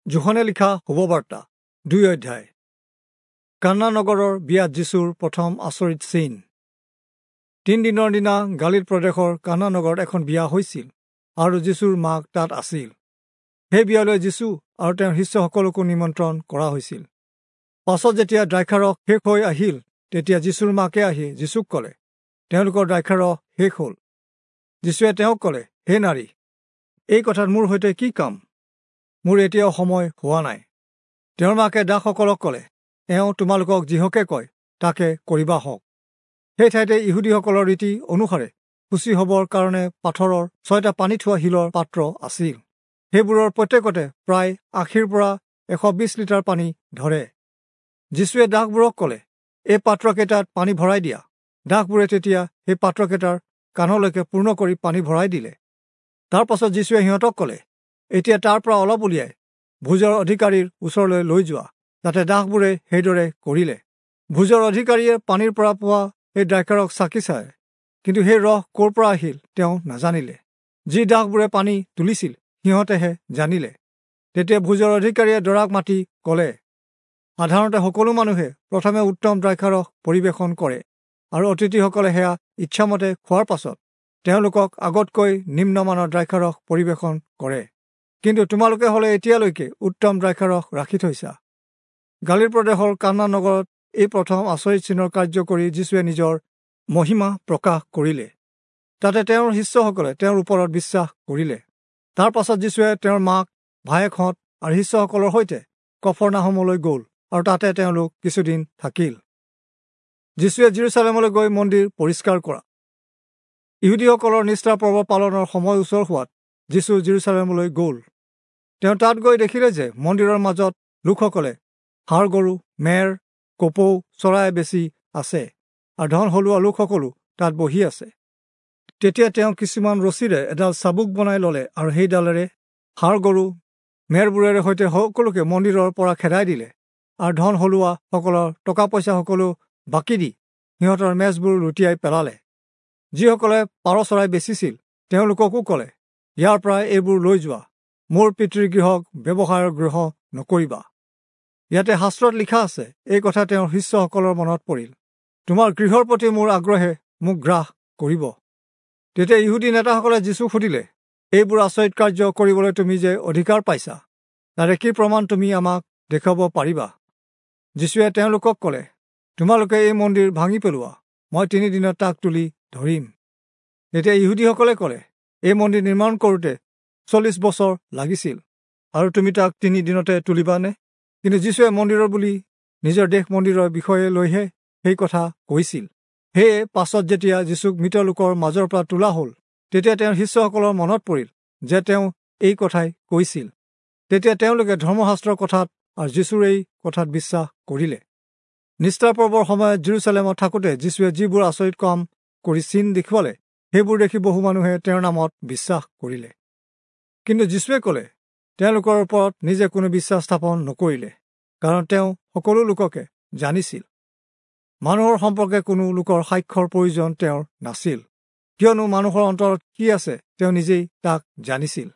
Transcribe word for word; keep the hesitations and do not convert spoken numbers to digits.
যোহনে লিখা শুভবাৰ্তা দুই অধ্যায়। কান্না নগৰৰ বিয়াত যীশুৰ প্ৰথম আচৰিত চিন। তিনদিনৰ দিনা গালিল প্ৰদেশৰ কান্না নগৰত এখন বিয়া হৈছিল আৰু যীশুৰ মাক তাত আছিল। সেই বিয়ালৈ যীশু আৰু তেওঁৰ শিষ্যসকলকো নিমন্ত্ৰণ কৰা হৈছিল। পাছত যেতিয়া দ্ৰাক্ষাৰস শেষ হৈ আহিল, তেতিয়া যীশুৰ মাকে আহি যীশুক ক'লে, তেওঁলোকৰ দ্ৰাক্ষাৰস শেষ হ'ল। যীশুৱে তেওঁক ক'লে, হে নাৰী, এই কথাত মোৰ সৈতে কি কাম? মোৰ এতিয়াও সময় হোৱা নাই। তেওঁৰ মাকে দাসসকলক ক'লে, এওঁ তোমালোকক যিহকে কয় তাকে কৰিবা হওক। সেই ঠাইতে ইহুদীসকলৰ ৰীতি অনুসাৰে শুচি হ'বৰ কাৰণে পাথৰৰ ছয়টা পানী থোৱা শিলৰ পাত্ৰ আছিল। সেইবোৰৰ প্ৰত্যেকতে প্ৰায় আশীৰ পৰা এশ বিছ লিটাৰ পানী ধৰে। যীশুৱে দাসবোৰক ক'লে, এই পাত্ৰকেইটাত পানী ভৰাই দিয়া। দাসবোৰে তেতিয়া সেই পাত্ৰকেইটাৰ কাণলৈকে পূৰ্ণ কৰি পানী ভৰাই দিলে। তাৰ পাছত যীশুৱে সিহঁতক ক'লে, এতিয়া তাৰ পৰা অলপ উলিয়াই ভোজৰ অধিকাৰীৰ ওচৰলৈ লৈ যোৱা। যাতে দাসবোৰে সেইদৰে কৰিলে। ভোজৰ অধিকাৰীয়ে পানীৰ পৰা পোৱা সেই দ্ৰাক্ষাৰস চাকি চায়, কিন্তু সেই ৰস ক'ৰ পৰা আহিল তেওঁ নাজানিলে। যি দাসবোৰে পানী তুলিছিল সিহঁতেহে জানিলে। তেতিয়া ভোজৰ অধিকাৰীয়ে দৰাক মাতি ক'লে, সাধাৰণতে সকলো মানুহে প্ৰথমে উত্তম দ্ৰাক্ষাৰস পৰিৱেশন কৰে আৰু অতিথিসকলে সেয়া ইচ্ছামতে খোৱাৰ পাছত তেওঁলোকক আগতকৈ নিম্নমানৰ দ্ৰাক্ষাৰস পৰিৱেশন কৰে। কিন্তু তোমালোকে হ'লে এতিয়ালৈকে উত্তম দ্ৰাক্ষাৰস ৰাখি থৈছা। গালিল প্ৰদেশৰ কান্না নগৰত এই প্ৰথম আচৰিত চিনৰ কাৰ্য কৰি যীশুৱে নিজৰ মহিমা প্ৰকাশ কৰিলে। তাতে তেওঁৰ শিষ্যসকলে তেওঁৰ ওপৰত বিশ্বাস কৰিলে। তাৰ পাছত যীশুৱে তেওঁৰ মাক, ভায়েকহঁত আৰু শিষ্যসকলৰ সৈতে কফৰনাহমলৈ গ'ল আৰু তাতে তেওঁলোক কিছুদিন থাকিল। যীশুৱে যিৰূচালেমলৈ গৈ মন্দিৰ পৰিষ্কাৰ কৰা। ইহুদীসকলৰ নিষ্ঠা পৰ্ব পালনৰ সময় ওচৰ হোৱাত যীশু যিৰূচালেমলৈ গ'ল। তেওঁ তাত গৈ দেখিলে যে মন্দিৰৰ মাজত লোকসকলে ষাঁড় গৰু, মেৰ, কপৌ চৰাই বেছি আছে আৰু ধন হলোৱা লোকসকলো তাত বহি আছে। তেতিয়া তেওঁ কিছুমান ৰছীৰে এডাল চাবুক বনাই ল'লে আৰু সেইডালেৰে ষাঁড় গৰু, মেৰবোৰেৰে সৈতে সকলোকে মন্দিৰৰ পৰা খেদাই দিলে আৰু ধন হলোৱাসকলৰ টকা পইচা সকলো বাকী দি সিহঁতৰ মেজবোৰ লুটিয়াই পেলালে। যিসকলে পাৰ চৰাই বেচিছিল তেওঁলোককো ক'লে, ইয়াৰ পৰা এইবোৰ লৈ যোৱা, মোৰ পিতৃৰ গৃহক ব্যৱসায়ৰ গৃহ নকৰিবা। ইয়াতে শাস্ত্ৰত লিখা আছে, এই কথা তেওঁৰ শিষ্যসকলৰ মনত পৰিল, তোমাৰ গৃহৰ প্ৰতি মোৰ আগ্ৰহে মোক গ্ৰাস কৰিব। তেতিয়া ইহুদী নেতাসকলে যীশুক সুধিলে, এইবোৰ আচৰিত কাৰ্য কৰিবলৈ তুমি যে অধিকাৰ পাইছা, তাৰে কি প্ৰমাণ তুমি আমাক দেখুৱাব পাৰিবা? যীশুৱে তেওঁলোকক ক'লে, তোমালোকে এই মন্দিৰ ভাঙি পেলোৱা, মই তিনিদিনত তাক তুলি ধৰিম। তেতিয়া ইহুদীসকলে ক'লে, এই মন্দিৰ নিৰ্মাণ কৰোঁতে চল্লিছ বছৰ লাগিছিল আৰু তুমি তাক তিনিদিনতে তুলিবানে? কিন্তু যীশুৱে মন্দিৰৰ বুলি নিজৰ দেশ মন্দিৰৰ বিষয়ে লৈহে সেই কথা কৈছিল। সেয়ে পাছত যেতিয়া যীশুক মৃত লোকৰ মাজৰ পৰা তোলা হ'ল, তেতিয়া তেওঁৰ শিষ্যসকলৰ মনত পৰিল যে তেওঁ এই কথাই কৈছিল। তেতিয়া তেওঁলোকে ধৰ্মশাস্ত্ৰৰ কথাত আৰু যীশুৰ এই কথাত বিশ্বাস কৰিলে। নিষ্ঠা পৰ্বৰ সময়ত যিৰূচালেমত থাকোঁতে যীশুৱে যিবোৰ আচৰিত কাম কৰি চিন দেখুৱালে, সেইবোৰ দেখি বহু মানুহে তেওঁৰ নামত বিশ্বাস কৰিলে। কিন্তু যীশুৱে ক'লে, তেওঁলোকৰ ওপৰত নিজে কোনো বিশ্বাস স্থাপন নকৰিলে, কাৰণ তেওঁ সকলো লোককে জানিছিল। মানুহৰ সম্পৰ্কে কোনো লোকৰ সাক্ষ্যৰ প্ৰয়োজন তেওঁৰ নাছিল, কিয়নো মানুহৰ অন্তৰত কি আছে তেওঁ নিজেই তাক জানিছিল।